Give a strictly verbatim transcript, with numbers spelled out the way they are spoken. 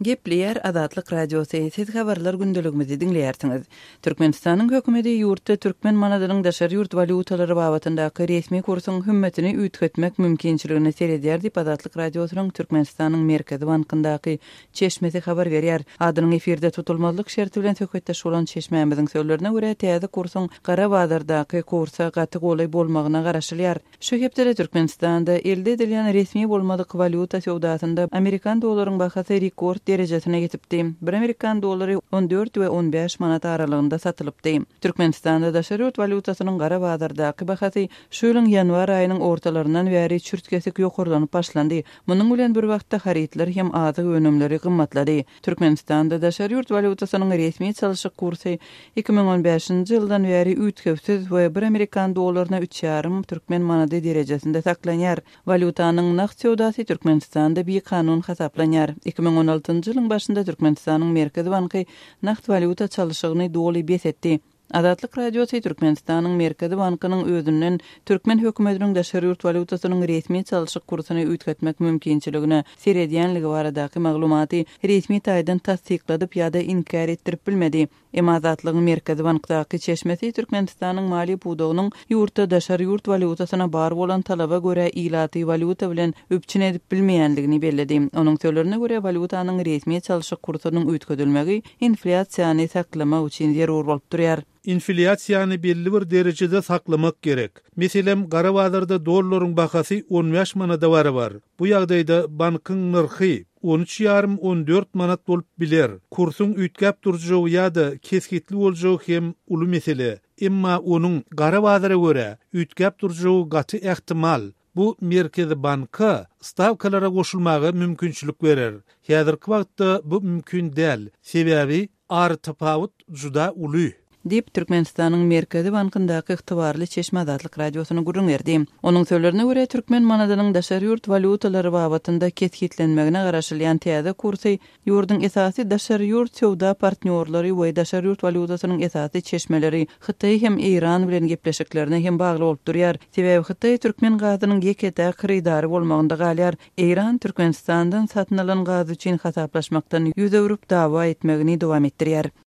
Gepleýär Azatlyk Radiosy, siz habarlar gündeligimizi diňleýärsiňiz. Türkmenistanyň hökümeti ýurtda türkmen manadynyň daşary ýurt walýutalary babatyndaky resmi kursuň hümmetini üýtgetmek mümkinçiligine seredýär diýip Azatlyk Radiosynyň Türkmenistanyň Merkezi bankyndaky çeşmesi habar berýär. Adynyň efirde tutulmazlyk şerti bilen söhbetdeş bolan çeşmämiziň sözlerine görä täze kursuň gara bazardaky kursa gaty golaý bolmagyna garaşylýar. Şu hepdede Türkmenistanda elde edilýän resmi bolmadyk walýuta söwdasynda amerikan dollaryň bahasy rekord derejesine ýetipdi. Bir amerikan dollary on dört we on bäş manat aralygynda satylypdy. Türkmenistanda daşary ýurt walýutasynyň gara bazardaky bahasy şu ýylyň ýanwar aýynyň ortalaryndan bäri çürt-kesik ýokarlanyp başlandy. Munuň bilen bir wagtda harytlar hem azyk önümleri gymmatlady. Türkmenistanda daşary ýurt walýutasynyň resmi çalşyk kursy iki müň on bäşinji ýyldan bäri üýtgewsiz we bir amerikan dollaryna üç ýarym türkmen manady derejesinde saklanýar. Walýutanyň nagt söwdasy Türkmenistanda bikanun hasaplanýar. Iki müň on altynjy ýylyň başynda Türkmenistanyň Merkezi banky nagt walýuta çalşygyny doly bes etdi. Azatlyk Radiosy Türkmenistanyň Merkezi bankynyň özünden türkmen hökümetiniň daşary ýurt walýutasynyň resmi çalşyk kursuny üýtgetmek mümkinçiligine seredýänligi baradaky maglumaty resmi taýdan tassykladyp ýa-da inkär etdirip bilmedi. Emma Azatlygyň Merkezi bankdaky çeşmesi Türkmenistanyň maliýe pudagynyň ýurtda daşary ýurt walýutasyna bar bolan talaba görä ilaty walýuta bilen üpjün edip bilmeýänligini belledi. Onuň sözlerine görä walýutanyň resmi çalşyk kursunyň üýtgedilmegi inflýasiýany saklamak üçin zerur bolup durýar. Inflýasiýany belli bir derejede saklamak gerek. Meselem, gara bazarda dollaryň bahasy on bäş manada barabar. Bu ýagdaýda bankyň nyrhy on üç ýarym on dört manat bolup biler. Kursuň üýtgäp durjagy ýa-da kesgitli boljagy hem uly mesele. Emma onuň gara bazara görä üýtgäp durjagy gaty ähtimal. Bu Merkezi banka stavkalara goşulmaga mümkinçilik berer. Häzirki wagtda bu mümkin däl. Sebäbi ary tapawut juda uly. Diýip Türkmenistanyň Merkezi bankyndaky ygtybarly çeşme Azatlyk Radiosyna gürrüň berdi. Onuň sözlerine görä türkmen manadynyň daşary ýurt walýutalary babatynda kesgitlenmegine garaşylýan täze kursy ýurduň esasy daşary ýurt söwda partnýorlary we daşary ýurt walýutasynyň esasy çeşmeleri Hytaý hem Eýran bilen gepleşiklerine hem bagly bolup durýar. Sebäbi Hytaý türkmen gazynyň ýeke-täk hyrydary bolmagynda galýar. Eýran Türkmenistandan satyn alan gaz üçin hasaplaşmakdan ýüz öwrüp dawa etmegini dowam etdirýär.